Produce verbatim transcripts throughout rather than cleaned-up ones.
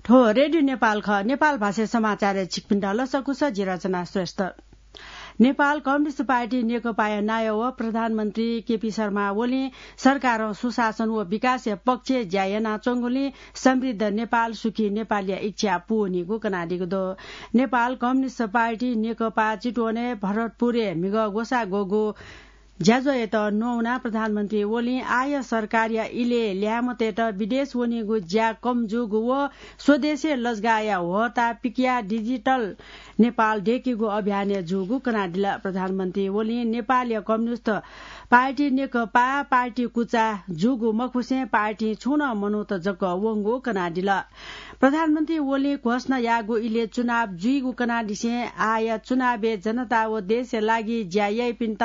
थ्व रेडियो नेपाल खः। नेपाल भाषाय् समाचारय् छिकपिन्त लसकुस, जि रचना श्रेष्ठ। नेपाल कम्युनिस्ट पार्टी नेकपाया नायः व प्रधानमन्त्री केपी शर्मा ओलीं सरकारं सुशासन व विकासया पक्षय् ज्या यानाच्वंगुलिं समृद्ध नेपाल, सुखी नेपालया इच्छा पूवनीगु कनादीगु दु। नेपाल कम्युनिस्ट पार्टी नेकपा चितवनय् भरतपुरय् म्हिगः ग्वसाः ग्वःगु ज्याझ्वःयात न्ववानाः प्रधानमन्त्री ओलीं आःया सरकारया इलय् ल्याय्म्हतय्त विदेश वनीगु ज्या कम जूगु व स्वदेशय् लजगाःया ह्वःताः पिकयाः डिजिटल नेपाल दय्केगु अभियानय् जूगु कनादिल। प्रधानमन्त्री ओलीं नेपालया कम्युनिस्ट पार्टी नेकपा पार्टी कुचा जूगु मखुसें पार्टीं छुं नं मनूत जक वंगु कनादिल। प्रधानमन्त्री ओलीं घोषणा याःगु इलय् चुनाव जुइगु कनादिसें आःया चुनावय् जनता व देशया लागि ज्या याइपिन्त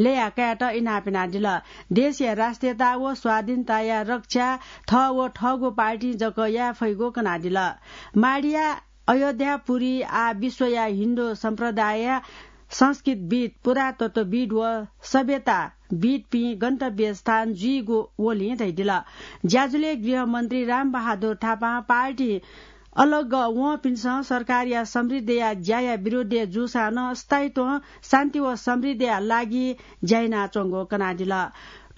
ल्यया कायेत इनाप यानादिल। देशया राष्ट्रियता व स्वाधीनताया रक्षा थः व थःगु पार्टीं जक याये फइगु कनादिल। माडिया, अयोध्या, पुरी आः विश्वया हिन्दू सम्प्रदाय, संस्कृतिविद्, पुरातत्वविद् व सभ्यताविद्पिं गन्तव्य स्थान जुइगु ओलीं धयादिल। ज्याझ्वलय् गृहमन्त्री रामबहादुर थापां पार्टी अलग वंपिन्सं सरकारया समृद्धिया ज्याया विरुद्धय् जूसां नं स्थायीत्वं शान्ति व समृद्धिया लागि ज्या यानाच्वंगु कनादिल।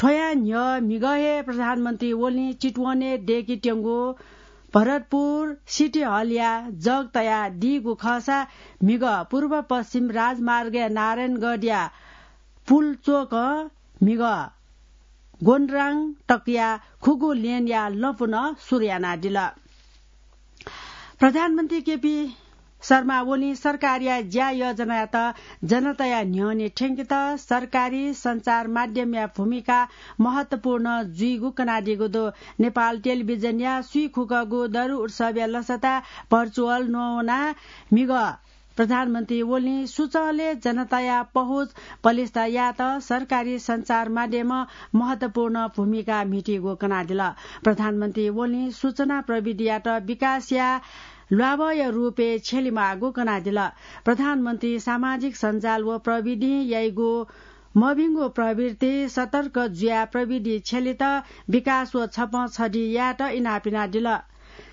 थ्वयां न्ह्यः म्हिगः हे प्रधानमन्त्री ओलीं चितवनय् दय्केत्यंगु भरतपुर सिटी हलया जग तयादीगु खःसा म्हिगः पूर्व पश्चिम राजमार्गया नारायणगढया पुल चोकं म्हिगः गोनराङ तकया खुगू लेनया लँपु नं सुरु यानादिल। प्रधानमन्त्री केपी शर्मा ओलीं सरकारया ज्या योजनायात जनताया न्ह्यःने थ्यंकेत सरकारी सञ्चार माध्यमया भूमिका महत्वपूर्ण जुइगु कनादीगु दु। नेपाल टेलिभिजनया स्वीखुकःगु दरु उत्सवया लसता भर्चुअल न्ववानाः म्हिगः प्रधानमन्त्री ओलीं सुचंले जनताया पहुँच बलिष्ठ यायेत सरकारी सञ्चार माध्यमं महत्वपूर्ण भूमिका म्हितीगु कनादिल। प्रधानमन्त्री ओलीं सूचना प्रविधियात विकासया ल्वाभःया रूपय् छ्यलेमाःगु कनादिल। प्रधानमन्त्री सामाजिक सञ्जाल व प्रविधिं याइगु मभिंगु प्रवृत्ति सतर्क जुयाः प्रविधि छ्यलेत विकास व छपं छधि यायेत इनाप यानादिल।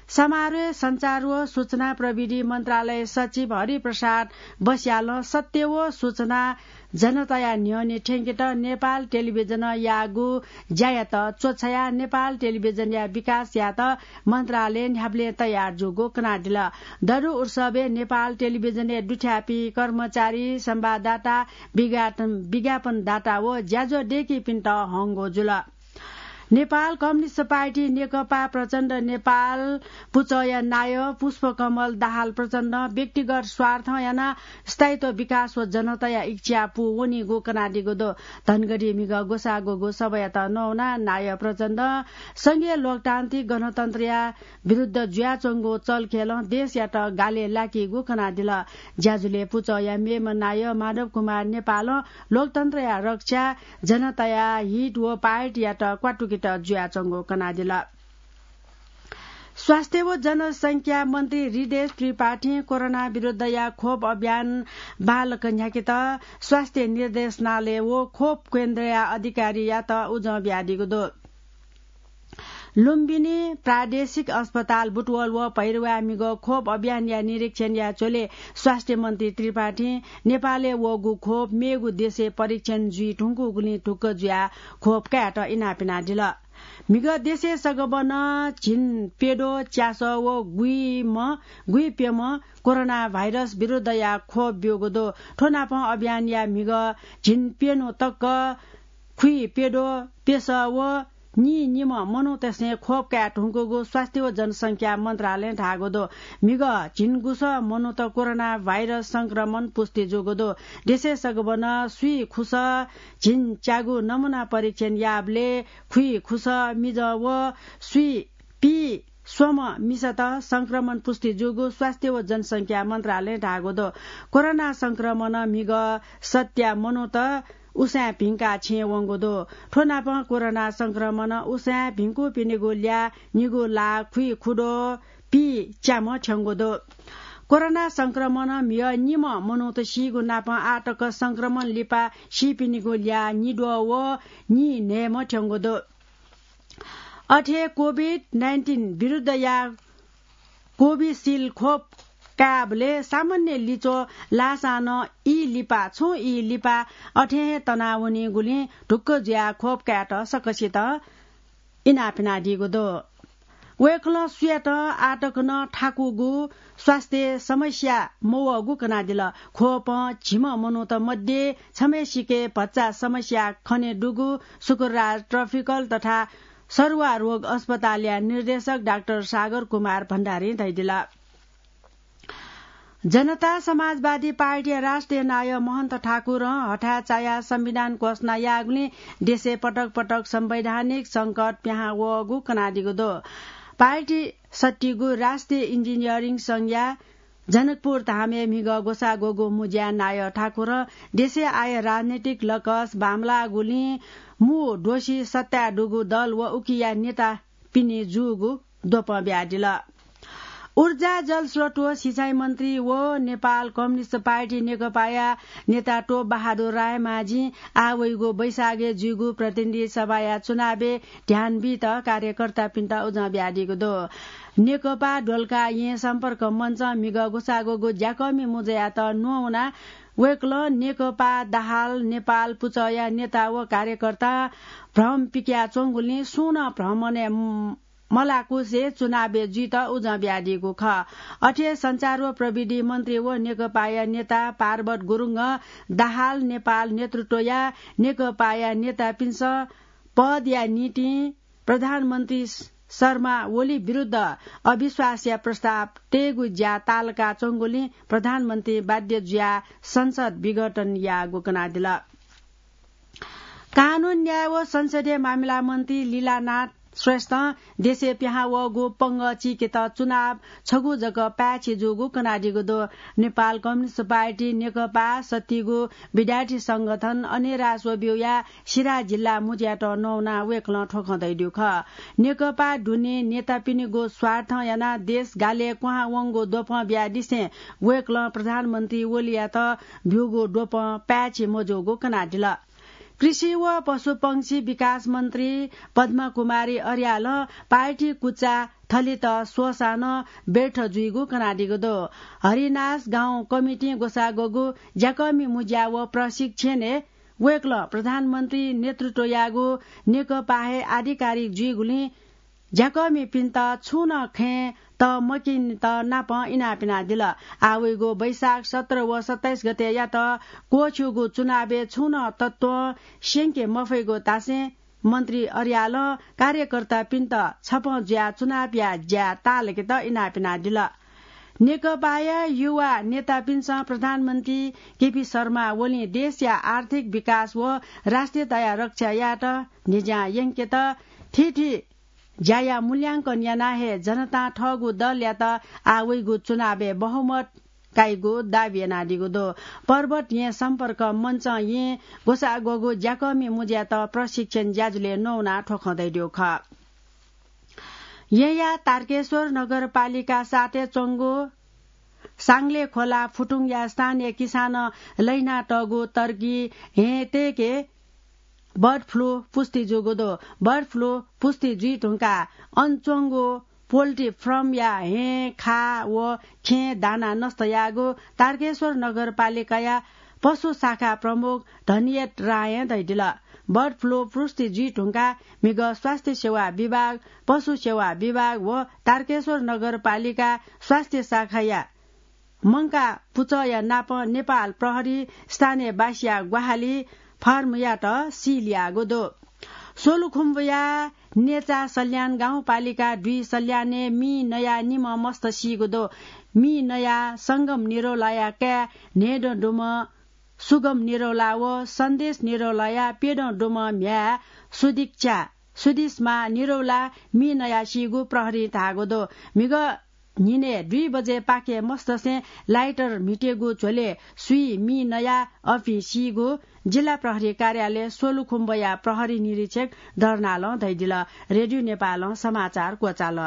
समारोहय् सञ्चार व सूचना प्रविधि मन्त्रालय सचिव हरिप्रसाद बस्यालं सत्य व सूचना जनताया न्ह्यःने थ्यंकेत नेपाल टेलिभिजनं याःगु ज्यायात च्वछायाः नेपाल टेलिभिजनया विकास यायेत मन्त्रालय न्ह्याबलें तयार जूगु कनादिल। दरु उत्सवय् नेपाल टेलिभिजनय् दुथ्याःपिं कर्मचारी, संवाददाता, विज्ञापन, विज्ञापनदाता व ज्याझ्वः दय्कीपिन्त हंगु जुल। नेपाल कम्युनिस्ट पार्टी नेकपा प्रचण्ड नेपाल पुचःया नायः पुष्पकमल दाहाल प्रचण्डं व्यक्तिगत स्वार्थं यानाः स्थायीत्व, विकास व जनताया इच्छा पूवनीगु कनादीगु दु। धनगढी म्हिगः ग्वसाः ग्वःगु सभायात न्ववानाः नायः प्रचण्डं संघीय लोकतान्त्रिक गणतन्त्रया विरुद्ध जुयाच्वंगु चलखेलं देशयात गालय् लाकीगु कनादिल। ज्याझ्वलय् पुचःया मेम्ह नायः माधव कुमार नेपालं लोकतन्त्रया रक्षा, जनताया हित व पार्टीयात क्वातुकेत जुयाच्वंगु कनादिल। स्वास्थ्य व जनसंख्या मन्त्री हृदय त्रिपाठीं कोरोना विरुद्धया खोप अभियान बांलाक न्ह्याकेत स्वास्थ्य निर्देशनालय व खोप केन्द्रया अधिकारीयात उजं बियादीगु दु। लुम्बिनी प्रादेशिक अस्पताल बुटवल व भैरवाया म्हिगः खोप अभियानया निरीक्षणया झ्वलय् स्वास्थ्य मन्त्री त्रिपाठीं नेपालय् वःगु खोप मेगु देशय् परीक्षण जुइ धुंकूगुलिं ढुक्क जुयाः खोप कायेत इनाप यानादिल। म्हिगः देशय् सगबनं झिंप्यद्वः च्यासः व गुइम्ह, गुइप्यम्ह कोरोना भाइरस विरुद्धया खोप ब्यूगु दु। थ्व नापं अभियानया म्हिगः झिंप्यन्हु तक खुइप्यद्वः प्यसः व नीनिम्ह मनूतय्सं खोप काये धुंकूगु स्वास्थ्य व जनसंख्या मन्त्रालयं धाःगु दु। म्हिगः झिंगुसः मनूत कोरोना भाइरस संक्रमण पुष्टि जूगु दु। देशय् सगबनं स्वीखुसः झिंच्यागू नमूना परीक्षण याःबलय् खुइखुसः मिजं व स्वीपीस्वम्ह मिसात संक्रमण पुष्टि जूगु स्वास्थ्य व जनसंख्या मन्त्रालयं धाःगु दु। कोरोना संक्रमणं म्हिगः सत्या मनूत उसाँय् भिंकाः छेँ वंगु दु। थ्व नापं कोरोना संक्रमणं उसाँय् भिंकूपिनिगु ल्याः निगू लाख खुइखुद्वः पीच्याम्ह थ्यंगु दु। कोरोना संक्रमणं म्हिगः निम्ह मनूत सीगु नापं आः तक संक्रमण लिपा सीपिनिगु ल्याः निद्वः व नीन्हय्म्ह थ्यंगु दु। अथे कोभिड नाइन्टिन विरुद्धया कोभिसिल्ड खोप कायेबलय् सामान्य लिच्वः लाःसां नं ई लिपा छुं ई लिपा अथें हे तनावनीगुलिं ढुक्क जुयाः खोप कायेत सकसित इनाप यानादीगु दु। वय्कलं सुयातं आःतक नं थाकूगु स्वास्थ्य समस्या मवःगु कनादिल। खोपं झिम्ह मनूत मध्ये छम्हय्सिके भचा समस्या खने दुगु शुक्रराज ट्रपिकल तथा सरुवा रोग अस्पतालया निर्देशक डाक्टर सागर कुमार भण्डारीं धयादिल। जनता समाजवादी पार्टीया राष्ट्रिय नायः महन्त ठाकुरं हथाय् चायाः संविधान घोषणा याःगुलिं देशय् पटक पटक संवैधानिक संकट पिहां वःगु कनादीगु दु। पार्टी सत्तीगु राष्ट्रिय इन्जिनियरिङ संघया जनकपुर धामय् म्हिगः ग्वसाः ग्वःगु मुँज्याय् नायः ठाकुरं देशय् आः राजनैतिक लकस बांमलाःगुलिं मू दोषी सत्ताय् दुगु दल व उकिया नेतापिनि जूगु द्वपं बियादिल। ऊर्जा, जलस्रोत व सिँचाइ मन्त्री व नेपाल कम्युनिस्ट पार्टी नेकपाया नेता टोप बहादुर रायमाझीं आः वइगु वैशाखय् जुइगु प्रतिनिधि सभाया चुनावय् ध्यान बीत कार्यकर्तापिन्त उजं बियादीगु दु। नेकपा दोलखा येँ सम्पर्क मञ्चं म्हिगः ग्वसाः ग्वःगु ज्याकःमि मुँज्यायात न्ववानाः वय्कलं नेकपा दाहाल नेपाल पुचःया नेता व कार्यकर्तां भ्रम पिकयाच्वंगुलिं सुं नं भ्रमणय् मलाकुसे चुनावय् जुइत उजं बियादीगु खः। अथे सञ्चार व प्रविधि मन्त्री व नेकपाया नेता पार्वत गुरुङं दाहाल नेपाल नेतृत्वया नेकपाया नेतापिन्सं पदया निंतिं प्रधानमन्त्री शर्मा ओली विरुद्ध अविश्वासया प्रस्ताव तयेगु ज्या तालकाच्वंगुलिं प्रधानमन्त्री बाध्य जुयाः संसद विघटन याःगु कनादिल। कानून, न्याय व संसदीय मामिला मन्त्री लीलानाथ श्रेष्ठं देशय् पिहां वःगु पंगः चीकेत चुनाव छगू जक पाय्छि जूगु कनादीगु दु। नेपाल कम्युनिस्ट पार्टी नेकपा सत्तीगु विद्यार्थी संगठन अनेरा स्वब्यूया सिराहा जिल्ला मुँज्यायात न्ववानाः वय्कलं थ्व खँ धयादीगु खः। नेकपा दुने नेतापिनिगु स्वार्थं यानाः देश गालय् क्वहां वंगु द्वपं बियादिसें वय्कलं प्रधानमन्त्री ओलीयात ब्यूगु द्वपं पाय्छि मजूगु कनादिल। कृषि व पशुपंक्षी विकास मन्त्री पद्मा कुमारी अर्यालं पार्टी कुचा थलित स्वःसां नं व्यर्थ जुइगु कनादीगु दु। हरिनास गाउँ कमिटिं ग्वसाः ग्वःगु ज्याकःमि मुँज्या व प्रशिक्षणय् वय्कलं प्रधानमन्त्री नेतृत्वयागु नेकपा हे आधिकारिक जुइगुलिं ज्याकःमिपिन्त छुं नं खँय् त मखुनित नापं इनाप यानादिल। आः वइगु वैशाख सत्र व सत्ताइस गतेयात क्वःछिउगु चुनावय् छुं नं तत्वं स्यंके मफइगु धासें मन्त्री अर्यालं कार्यकर्तापिन्त छपं जुयाः चुनावया ज्या ताःलाकेत इनाप यानादिल। नेकपाया युवा नेतापिन्सं प्रधानमन्त्री केपी शर्मा ओलीं देशया आर्थिक विकास व राष्ट्रियताया रक्षा यायेत न्हिज्यां यंकेत थीथी ज्याया मूल्यांकन यानाः हे जनतां थःगु दलयात आः वइगु चुनावय् बहुमत काइगु दाबी यानादीगु दु। पर्वत येँ सम्पर्क मञ्चं येँ ग्वसाः ग्वःगु ज्याकःमि मुँज्यायात प्रशिक्षण ज्याझ्वलय् न्ववानाः थ्व खँ धयादीगु खः। येँया तारकेश्वर नगरपालिका सातय् च्वंगु सांगले खोला फुटुङया स्थानीय किसानं लहिनातःगु तर्की हेँ तय्के बर्ड फ्लू पुष्टि जूगु दु। बर्ड फ्लू पुष्टि जुइ धुंकाः अन च्वंगु पोल्ट्री फार्मया हेँ, खा व खेँ दाना नष्ट याःगु तारकेश्वर नगरपालिकाया पशु शाखा प्रमुख धनियत रायं धयादिल। बर्ड फ्लू पुष्टि जुइ धुंकाः म्हिगः स्वास्थ्य सेवा विभाग, पशु सेवा विभाग व तारकेश्वर नगरपालिका स्वास्थ्य शाखाया मंकाः पुचःया नाप नेपाल प्रहरी स्थानीयवासीया ग्वाहालि फार्मयात सिल याःगु दु। सोलुखुम्बुया नेचा सल्यान गाउँपालिका दुई सल्यानय् मि नयाः निम्ह मस्त सीगु दु। मि नयाः संगम निरौलाया काय् न्हय्दँ दुम्ह सुगम निरौला व सन्देश निरौलाया प्यदँ दुम्ह म्ह्याय् सुदीक्षा, सुदिस्मा निरौला मि नयाः सीगु प्रहरीं धाःगु दु। म्हिगः न्हिनय् दुई बजेपाखे मस्तसें लाइटर म्हितेगु झ्वलय् सुइ मि नयाः अपिं सीगु जिल्ला प्रहरी कार्यालय सोलुखुम्बया प्रहरी निरीक्षक धर्नालं धयादिल। रेडियो नेपालं समाचार क्वचाल।